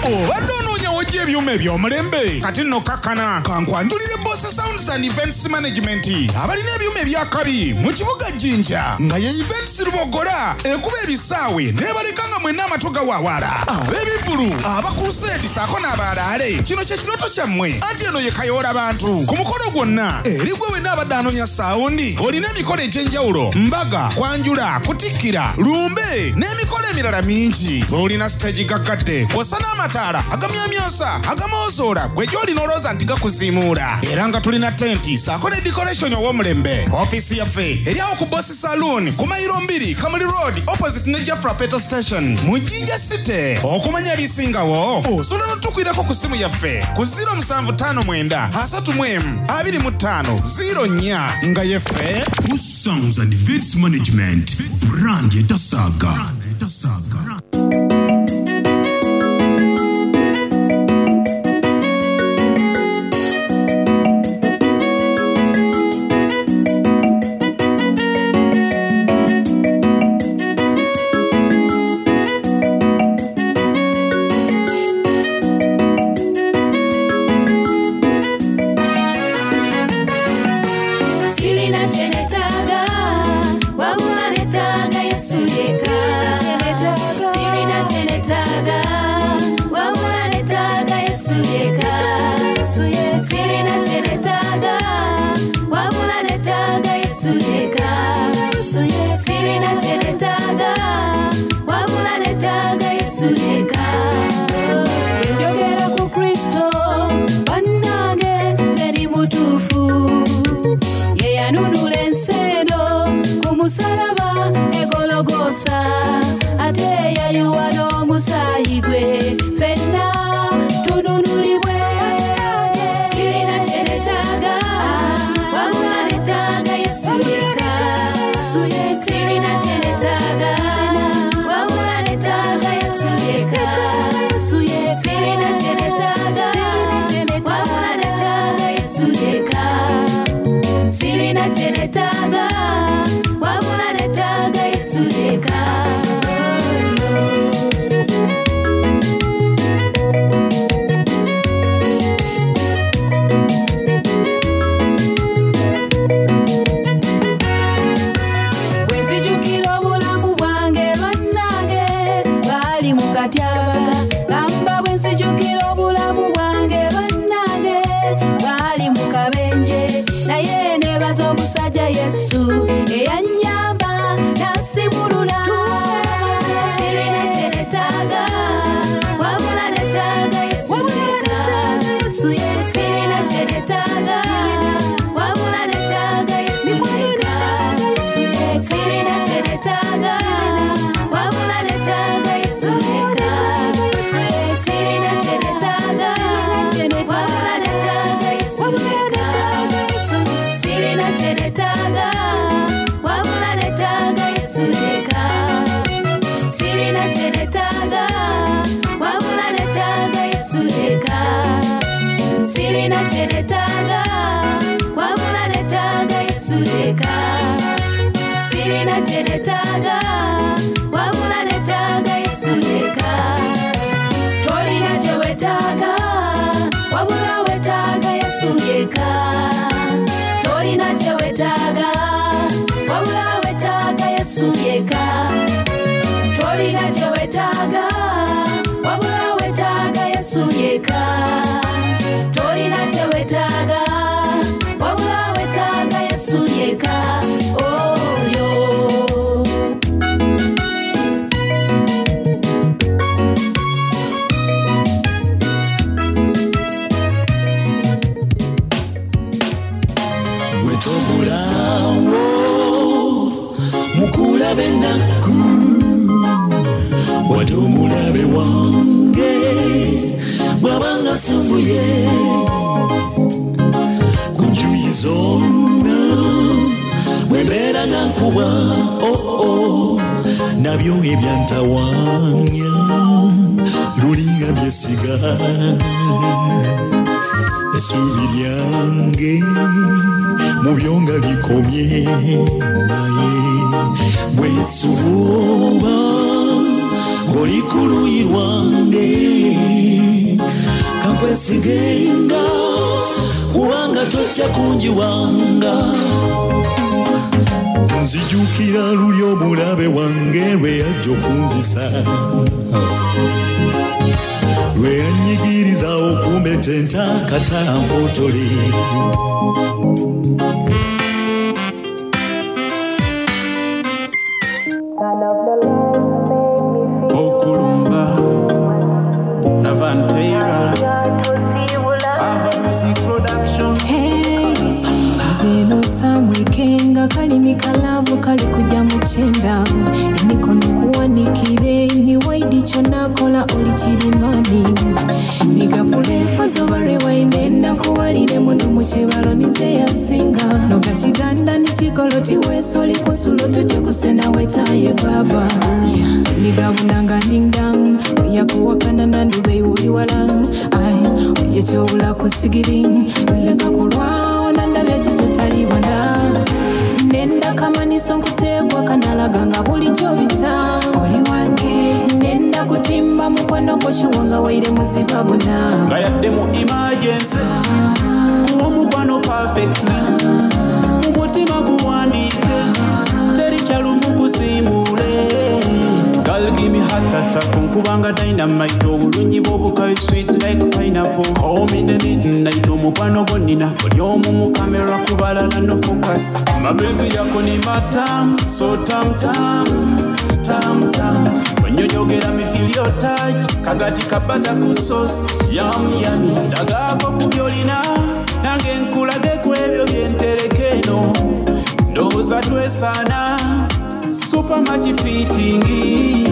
Obadde onoonya. w'ojja ebyuma eby'omulembe. Kati nno kakkana kankwanjulire Boss Sounds and Events Management abalina ebyuma eby'akabi mu kibuga Jinja nga ye Events Lubogola ekuba ebisaawe n'ebaleka nga mwenna amatu gawawaala. Ab'ebivvulu, aba Crusade ssaako n'abaalaale, kino kye kirooto kyammwe anti eno ye Kayoola Bantu ku mukolo gwonna eri gwe wenna abadde anoonya saawundi olina emikolo egy'enjawulo, mbaga, kwanjula, kutikkira, lumbe n'emikolo emirala mingi. Tulina siteegi gaggadde kw'ossa n'amataala agamyamyansa, agamoozoora gwe gy'oli n'olowooza nti gakuziimuula era nga tulina tenti ssaako ne decoration ow'omulembe. Ofiisi yaffe eri awo ku Boss Saloon ku mayiro mbiri Kamuli Road opposite ne Jafra Petrol Station mu Jinja City. Okumanya ebisingawo osobola n'otukwirako ku ssimu yaffe ku 0759 31 25 04 nga yeffe Boss Sounds and Events Management brand etasaaga. Sirina kye neetaaga, wabula neetaaga Yesu yekka. Sirina kye neetaaga, wabula neetaaga Yesu yekka. Sirina kye neetaaga, wabula neetaaga Yesu yekka. Sirina kye neetaaga, wabula neetaaga Yesu yekka. Njogera ku Kristo bannange teri mutuufu ye yanunula ensi eno ku musalaba egologosa ate yayiwa n'omusaayi gwe ffenna tununulibwe. Sirina kye neetaaga, wabula neetaaga Yesu yekka. Sirina kye neetaaga, wabula neetaaga Yesu yekka. Sirina kye neetaaga, wabula neetaaga Yesu yekka. Sirina kye neetaaga, wabula neetaaga Yesu yekka. Bwe nzijukira obulamu bwange bannange baali mu katyabaga gamba bwe nzijukira obulamu bwange bannange baali mu kabenje naye neebaza omusajja Yesu eyannyamba n'ansimulula. Sirina kye neetaaga, wabula neetaaga Yesu yekka. Sirina kye neetaaga, wabula neetaaga Yesu yekka. Sirina kye neetaaga, wabula neetaaga Yesu yekka. Sirina kye neetaaga, wabula neetaaga Yesu yekka. Sirina kye neetaaga, wabula neetaaga Yesu yekka. Sirina kye neetaaga, wabula neetaaga Yesu yekka. Sirina kye neetaaga, wabula neetaaga Yesu yekka. Sirina kye neetaaga, wabula neetaaga Yesu yekka. Tolina kye weetaaga wabula weetaaga Yesu yekka. Tolina kye weetaaga wabula weetaaga Yesu yekka. Tolina kye weetaaga wabula weetaaga Yesu yekka. Tolina kye weetaaga wabula weetaaga Yesu yekka. Oyo. Wetobulawo mukulaba ennaku wadde omulabe wange bw'abanga nsunguye ku njuyi zonna bwe mbeera nga nkubwa oo nabyo ebyantawanya lulinga byesiga essuubi lyange mu byo nga likomye naye bwe nsubuuba ng'oli ku luyi lwange. nkwesigenga kubanga tojja kunjiwanga. Nzijukira luli omulabe wange lwe yajja okunzisa, lwe yanyigiriza okumbetenta kata nfotole. Okulumba Navanteira Ava Music Production. Zeno samwekenga kalimi kalavu kali kujja mu kyenda, emikono kuwanikire ni waidi kyonakola oli kirimani nigapulepazoba rewainenda nkuwalire muno mu kibalo nize yasinga noga kiganda nikikolo tiweesa oli kusulo tujje kusena wetaye baba nigabunanga dingdang oyakuwakana nandube uli wala ai oyekyobula kusigiri leka kulwawo nandabya kikyo talibona nenda kamaniso nkuteekwa kanalaga nga bulijjo bita oli wange nenda kutimba mukwano gwo kiwanga waire muzibabona nga yadde mu emergency kuwa omukwano perfectly mu mutima guwandiike teri kyalumu kusiimuule. Girl, give me heart attack, nkubanga dynamite, obulungi bw'obukayi sweet like pineapple. Call me in the midnight, omukwano gwo nnina oli omu mu kamera kubalala no focus. Mapenzi yako ni matamu, so tam tam tam tam. Onyonyogera me feel your touch, kagati kabata ku sauce, yum yummy. Ndagaako ku by'olina, nange nkulage ku ebyo bye ntereka eno. Ndowooza twesaana. Super much fitting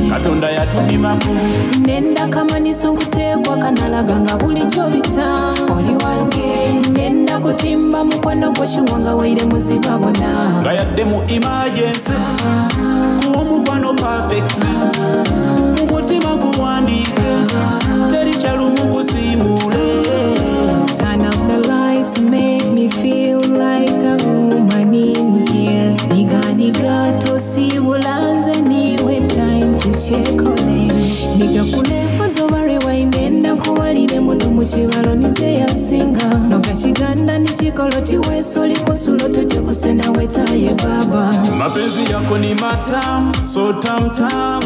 Katonda yatupimako nenda kamaniso nkuteekwa kanalaga nga bulijjo bita oli wange nenda kutimba mukwano gwo kiwanga waire muzibabona nga yadde mu emergency kuwa omukwano perfectly mu mutima guwandiike teri kyalumu kusiimuule. Turn up the lights, make me feel like a woman in here. Niga niga tosibulanze niwe time to check on it. Niga kulepazoba rewind nenda nkuwalire muno mu kibalo nize yasinga noga kiganda nikikolo tiweesa oli kusulo tujje kusena wetaye baba. Mapenzi yako ni matamu, so tam tam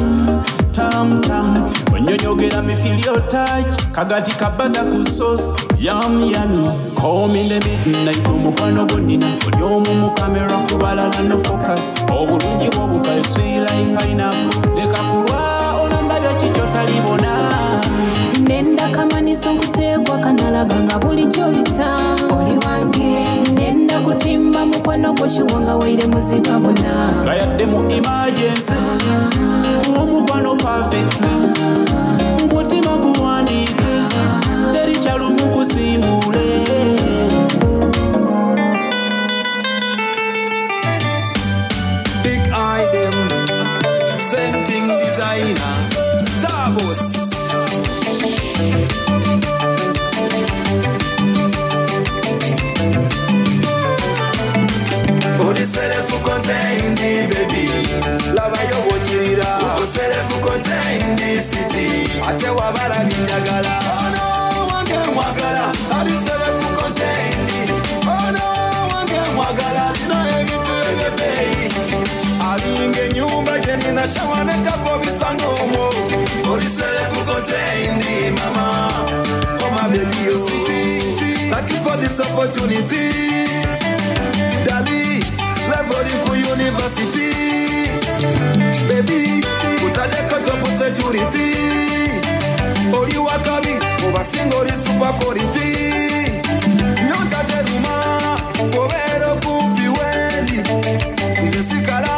tam tam. Onyonyogera me feel your touch, kagati kabata ku sauce, yum yummy. Call me in the midnight, omukwano gwo nnina oli omu mu kamera kubalala no focus. Obulungi bw'obukayi sweet like pineapple, leka kulwa onandabya kikyo talibona. Nenda kamaniso nkuteekwa kanalaga nga bulijjo bita oli wange nenda kutimba mukwano gwo kiwanga waire muzibabona nga yadde mu emergency kuwa omukwano perfectly mu mutima guwandiike teri kyalumu kusiimuule. Big eye them, same thing designer, Starboss. Oli self-contained, baby. Laba yo bw'onyirira. Uko self-contained city. Ate wabala binjagala. Ono wange mwagala. Ali self-contained. Ono wange mwagala. Alina ebintu eby'ebbeeyi. Alinga ennyumba gye nina shawa ne tapo bisanga omwo. Oli self-contained, mama. Oh my baby, oh. Thank you for this opportunity. Dali, level ku university. Baby, kutadeko top security. Oli wakabi, obasinga oli super quality. Nyonta teruma, obeera okumpi wendi. Nze sikala,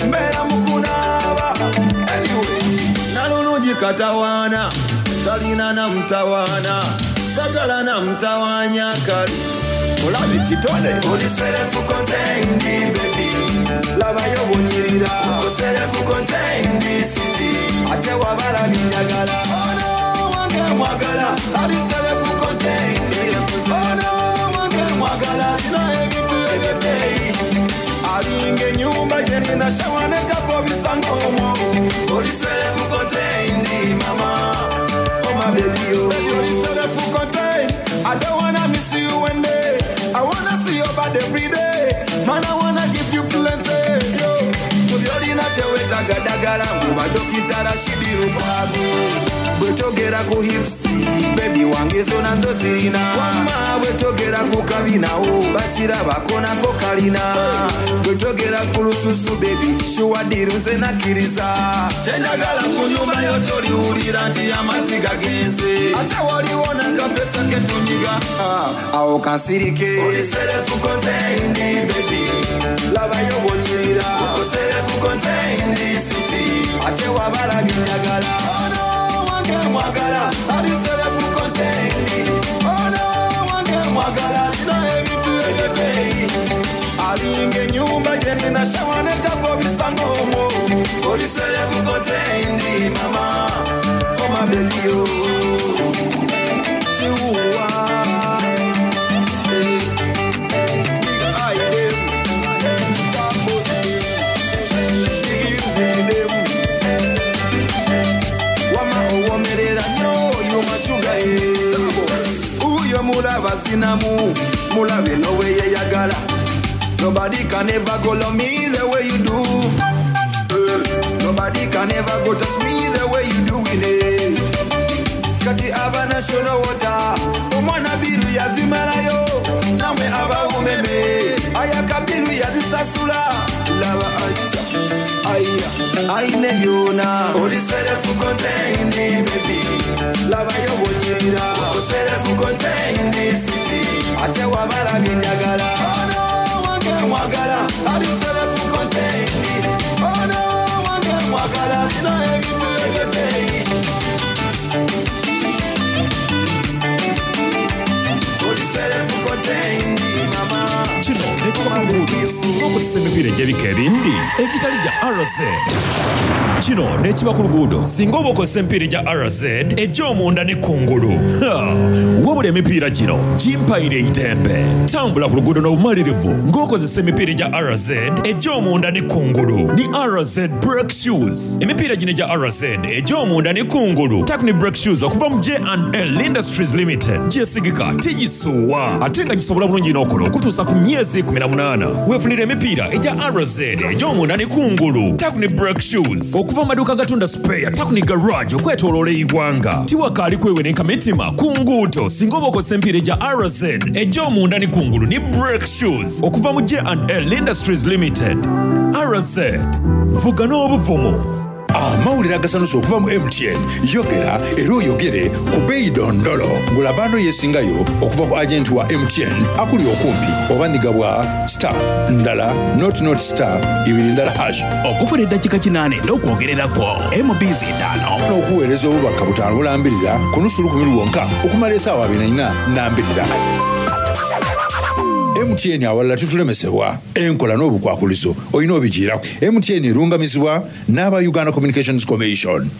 mbeera mu kunaaba. Anyway, nalulungi katawaana, talina na mutawaana. Sagala na mutawaanya kali. Olabe kitone. Oli self-contained, baby. Labayo bw'onyirira. Uko self-contained city. Ate wabala binjagala. Ono wange mwagala. Ali self-contained. Ono wange mwagala. Alina ebintu eby'ebbeeyi. Alinga ennyumba gye nina shawa ne tapo bisanga omwo. Oli self-contained, mama. Oh my baby, oh. Oli self Rashidi Lukwago. Bwetogera ku hips baby wange zo nazo zirina. Wamma bwetogera ku kabinawo bakirabako nako kalina. Bwetogera ku lususu baby shuwadiru nze nakkiriza. Kyenjagala ku nyumba yo toliwulira nti amazzi gagenze. Ate waliwo nakapesa ketunyiga. Ah, awo kansirike. Oli self contained baby. Labayo bwonyirira. Self contained city. Ate wabala binjagala. Ono wange mwagala. Ali self contained. Ono wange mwagala. Alina ebintu ebyebbeeyi. Alinga ennyumba gye nina shawa ne tapo bisanga omwo. Oli self contained mama. Oh my baby oh. Chihuahua. Eh, eh, big eye them. Star boss them. Big music them. Wama owomerera nnyo oyo mashuga ye. Uyo mulaba sinamu mulabe nowe yeyagala. Nobody can ever go love me the way you do. Nobody can ever go touch me the way you do it. Kati aba national water omwana biru yazimalayo namwe aba umeme aya kabiru yazisasula laba aja aya aine byona oli self contained baby laba yo bwonyirira self contained city ate wabala binjagala ono wange mwagala ali self contained ono wange mwagala lina ebintu ebyebbeeyi oli self contained mama. Kino nekiba ku luguudo singa okozesa emipiira egy'ebika ebindi egitali gya RZ. Kino nekiba ku luguudo singa oba okozesa emipiira egya RZ egy'omunda ne kungulu. Ha! Wabula emipiira gino gimpaire eitembe. Tambula ku luguudo n'obumalirivu ng'okozesa emipiira egya RZ egy'omunda ne kungulu. Ni RZ brake shoes. Emipiira gino egya RZ egy'omunda ne kungulu. Takuni brake shoes okuva mu J&L Industries Limited. Gyesigika tigisuuwa ate nga gisobola bulungi n'okola okutuusa ku myezi 18. Weefunira emipiira egya RZ egy'omunda ne kungulu. Takuni brake shoes okuva mu maduuka agatunda spare Takuni garage okwetooloola eggwanga. Tiwakaali kwewenenka mitima ku nguudo singa oba okozesa emipiira egya RZ egy'omunda ne kungulu ni brake shoes okuva mu J&L Industries Limited. RZ vuga n'obuvumu. Amawulire agasanusa okuva mu MTN yogera era oyogere ku beeyi dondolo. Gula bando yeesingayo okuva ku agenti wa MTN akuli okumpi oba nyiga bwa star ndala not not star ibiri ndala hash. Okufuna eddakiika 8 n'okwogererako MBs 5. N'okuweereza obubaka 5 bulambirira ku nusu lukumi lwonka okumala essaawa 24 nambirira. MTN awalala tutulemesebwa enkola n'obukwakulizo olina obigiirako. MTN erungamizibwa n'aba Uganda Communications Commission.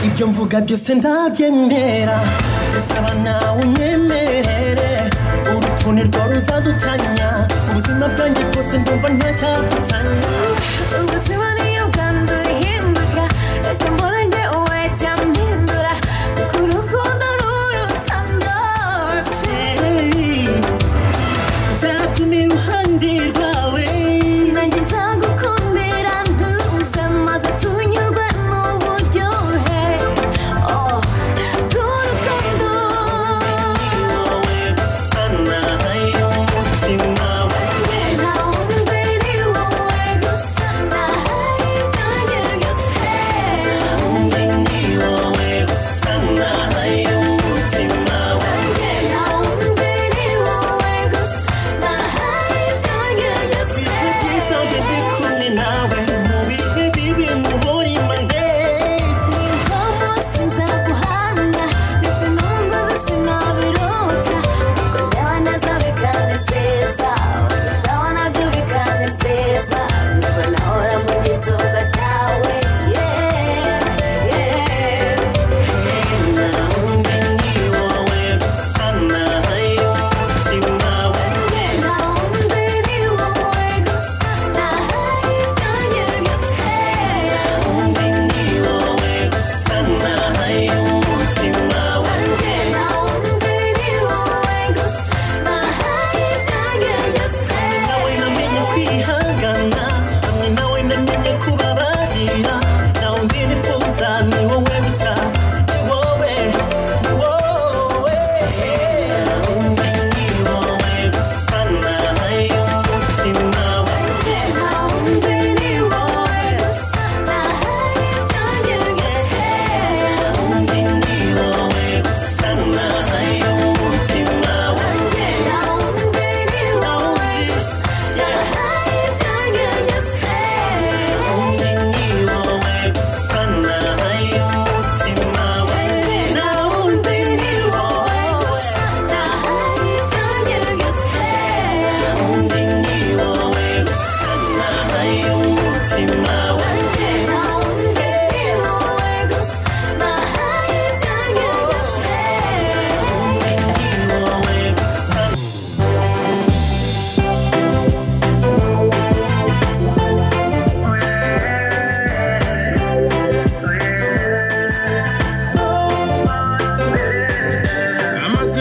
Ibyo mvuga byose ndabyemera, ndasaba nawe unyemerere. Urupfu nirwo ruzadutanya, ubuzima bwanjye bwose ndumva ntacyadutanya. Ubuzima niyo bwanduhinduka, ntacyo mbona njye uwe cyampindura, kuko urukundo ruruta byose. Nzaguma iruhande rwawe, nanjye nzagukundira ntuze, maze tunyurwe n'uburyohe. Oh, bw'urukundo. Wowe gusa nahaye umutima wanjye. Nta wundi ni wowe gusa nahaye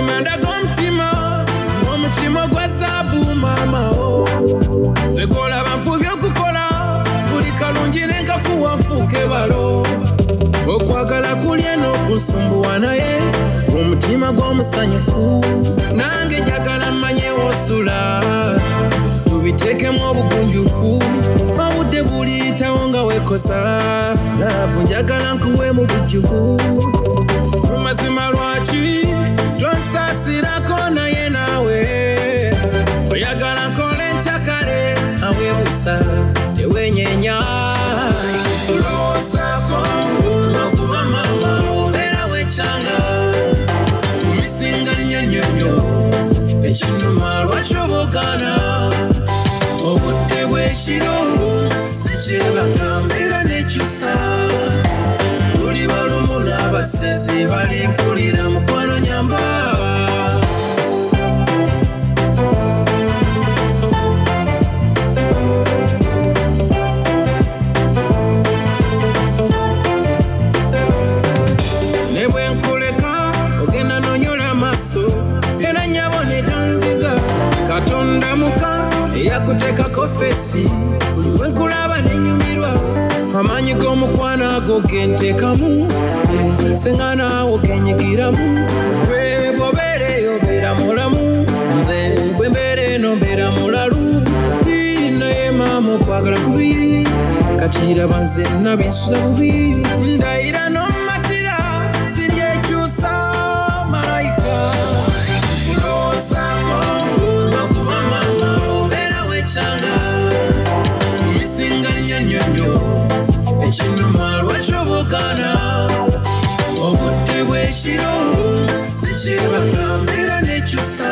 Mazima ndaga omutima, omutima ogwa zaabu maama o. Segolaba nfubye okukola buli kalungi nenkakuwa nfuuke balo. Okwagala kuli eno okusumbuwa naye omutima gw'omusanyufu. Nange njagala mmanye w'osula tubiteekemu obugunjufu. Obudde buliyitawo nga weekosa laavu njagala nkuwe mu bujjuvu. Mu mazima lwaki tonsaasirako naye naawe oyagala nkole nkyakale aweebuusa tewenyenya. Kulowoozaako n'okuba maama obeera wekyanga kumisinga nnyo nnyo ekinuma lwaki obugaana. Obudde bw'ekiro sikyebaka mbeera nekyusa. Tuli balumu n'abasezi balimpulira mukwano nyamba. Ne bwe nkuleka ogenda nonyola amaaso era nnyabo ne ganziza. Katonda muka eyakuteekako feesi buli lwe nkulaba ne nnyumirwa. Amaanyi g'omukwano ago ge nteekamu senga naawo genyigiramu. Gwe bw'obeera eyo beera mulamu, nze bwe mbeera eno mbeera mulalu. Naye maama okwagala kubi kati raba nze nabinsuza bubi. Ndayira n'omatira siryekyusa malayika. Kulowoozaako n'okuba maama obeera wekyanga kumisinga nnyo nnyo nnyo ekinuma lwaki obugaana. Obudde bw'ekiro sikyebaka mbeera nekyusa.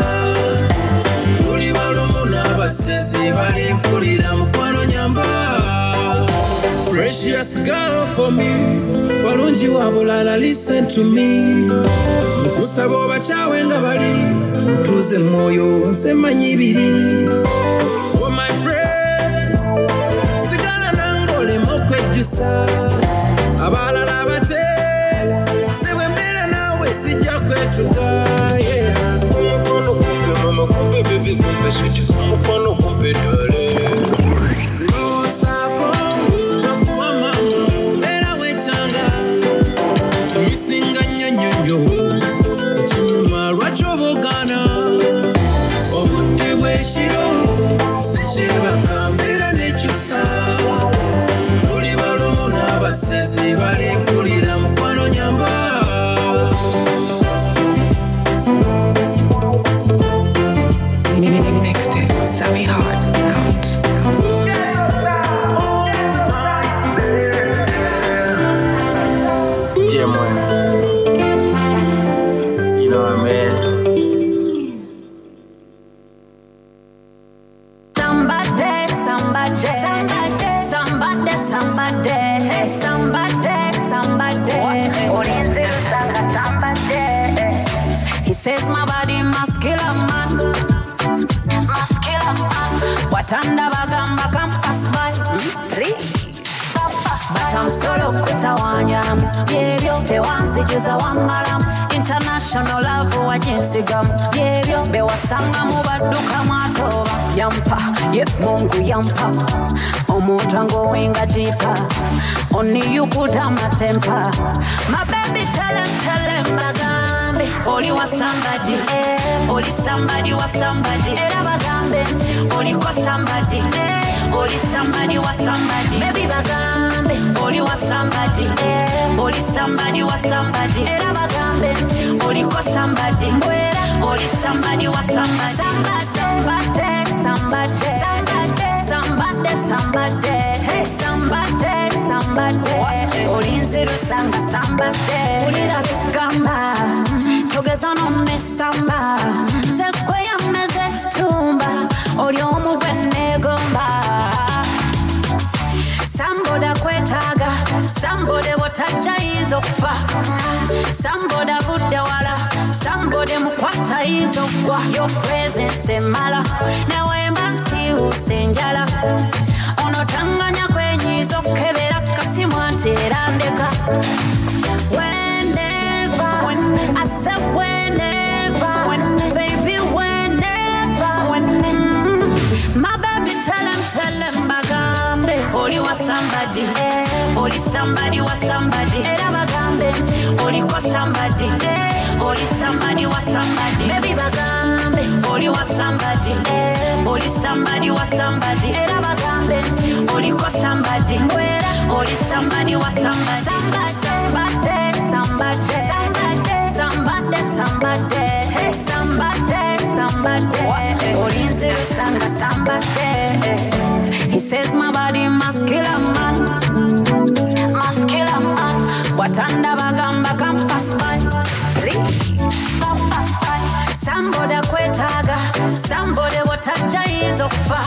Tuli balumu n'abasezi balimpulira mukwano nyamba. Precious girl for me, walungi wa bulala listen to me. Nkusaba obakyawe nga bali ntuze mwoyo nze mmanyi biri. Oh my friend, sigala nange oleme okwejjusa. Abalala bate si bwe mbeera naawe sijja kwetuga. Yeah. Omukwano gumpe mama gumpe baby gumpe sweet omukwano gumpe dole. Lowoozaako n'okuba maama obeera wekyanga kumisinga nnyo nnyo nnyo ekinuma lwaki obugaana. Obudde bw'ekiro sikyebaka mbeera nekyusa. Tuli balumu n'abasezi balimpulira mukwano nyamba. Next in Sammy Hard Sound. Jim West. You know what I mean? Somebody, somebody, somebody, somebody, somebody, hey, somebody, somebody. Olinzi Lusanga, somebody. He says my body must kill a man, must kill a man. Watanda bagamba come pass by, please. But I'm solo kutawanyamu byebyo tewanzijuza wammalamu international love waginsigamu byebyo bewasangamu baddukamu atoba yampa ye Mungu yampa omuntu angowenga deeper only you could have my temper. My baby tell him bagambe oli wa somebody, oli somebody wa somebody era bagambe oliko somebody, oli somebody wa somebody baby bagambe oli wa somebody, oli somebody wa somebody era bagambe oliko somebody, oli somebody wa somebody. Somebody, somebody, somebody, somebody, hey, somebody, somebody. Olinzi Lusanga, somebody. Ulira bigamba togeza n'omesamba nze gwe yameze tumba oli omu gwe neegomba. Somebody kwetaaga, somebody bw'otajja ayinza okufa, somebody avudde wala, somebody mukwata ayinza okugwa. Your presence emala newemba nsiiwuuse enjala ono tanganya kwenyiiza okukebera kasimu anti era ndeka. Whenever, I said whenever, somebody, oli somebody wa somebody. Era bagambe oliko somebody, oli somebody wa somebody. Baby bagambe oli wa somebody, oli somebody wa somebody. Era bagambe oliko somebody, oli somebody wa somebody. Somebody, somebody, somebody, somebody, somebody, hey, somebody, somebody. Olinzirusanga somebody. He says my body must kill a man, must kill a man. Watanda bagamba campus man, campus man. Somebody kwetaaga, somebody watajja yinza okufa,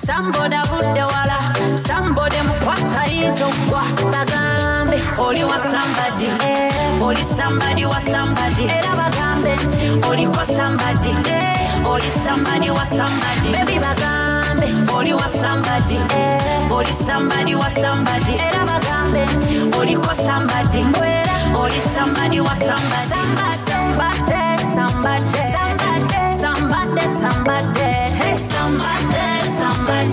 somebody avudde wala, somebody mukwata yinza okugwa. Bagambe oli wa somebody, oli somebody wa somebody. Era bagambe oliko somebody, oli somebody wa somebody. Baby bagambe oli wa somebody, oli somebody wa somebody. Era bagambe oliko somebody, oli somebody wa somebody. Somebody, somebody, somebody, somebody, somebody, hey, somebody, somebody.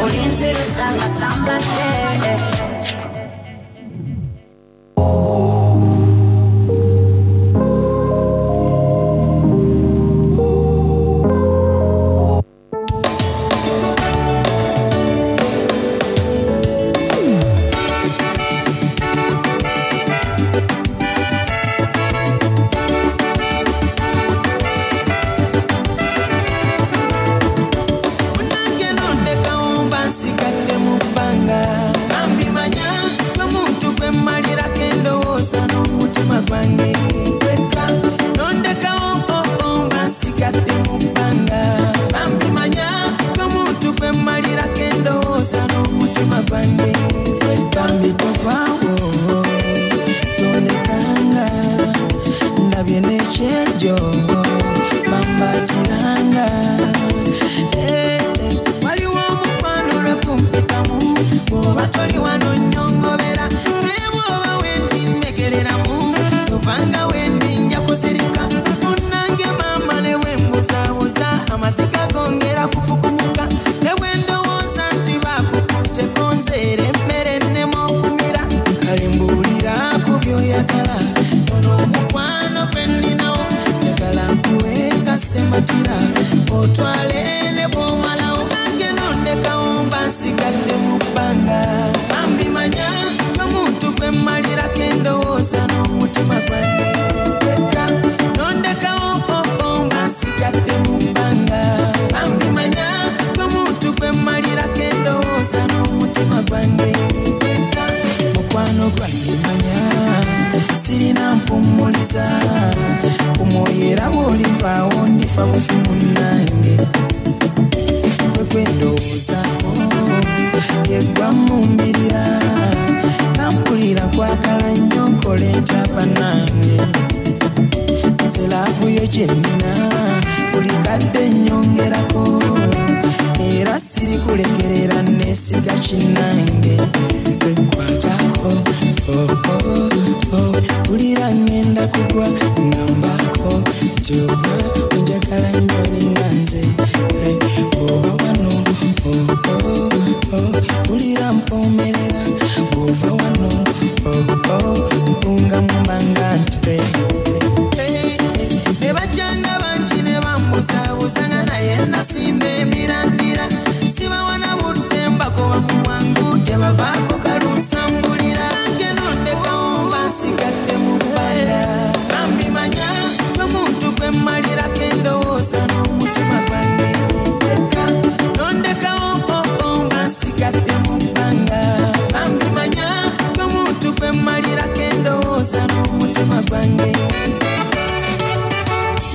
Olinzirusanga somebody. Munange nondekawo mba nsigadde mu bbanga. Bambimanya omuntu gwe mmalirako endowooza n'omutima gwange gwekka. Nondekawo oo mba nsigadde mu bbanga. Bambimanya omuntu gwe mmalirako endowooza n'omutima gwange. Bambi tovaawo tondekanga, ndabye n'ekyejo bambatiranga. Eh, eh, waliwo omukwano lwe kumpitamu, bw'oba toli wano nnyongobera, naye bw'oba wendi nnegereramu, tovanga wendi nja kusirika. Munnange maama ne bwe mbuzaabuza, amaziga gongera kufukumuka, ne bwe ndowooza nti baakukutteko nze era emmere ennema okumira. Kale mbuulira ku by'oyagala, ono omukwano gwe nninawo, njagala nkuwe kasematira, otwale ne bw'omalawo. Nange nondekawo mba nsigadde mu bbanga. Bambimanya omuntu gwe mmalirako endowooza n'omutima gwange gwekka. Nondekawo oo mba nsigadde mu bbanga. Bambimanya omuntu gwe mmalirako endowooza n'omutima gwange gwekka. Mukwano gwange manya sirina mpummuliza, ku mwoyo era bw'olivaawo ndifa bufi munnange. Gwe gwe ndowoozaako ye gwammumbirira, nampulira kwagala nnyo nkole ntya bannange. Nze laavu yo gye nnina buli kadde nnyongerako, era sirikulekerera neesiga kinnange. Kwatako oh, oh, oh, mpulira ŋŋenda kugwa ŋŋambako nti oba onjagala nnyo ninga nze. Eh, bw'oba wano oh, oh, oh, mpulira mpoomerera, bw'ova wano oh, oh, mpunga mu bbanga nti eh, ne bajjanga bangi ne bambuzaabuza nga naye nasimba emirandira. Sibawana budde mbagoba mu bwangu gye bavaako kalunsambulira. Nange nondekawo mba nsigadde mu bbanga. Bambimanya omuntu gwe mmalirako endowooza n'omutima gwange gwekka. Nondekawo oo mba nsigadde mu bbanga. Bambimanya omuntu gwe mmalirako endowooza n'omutima gwange.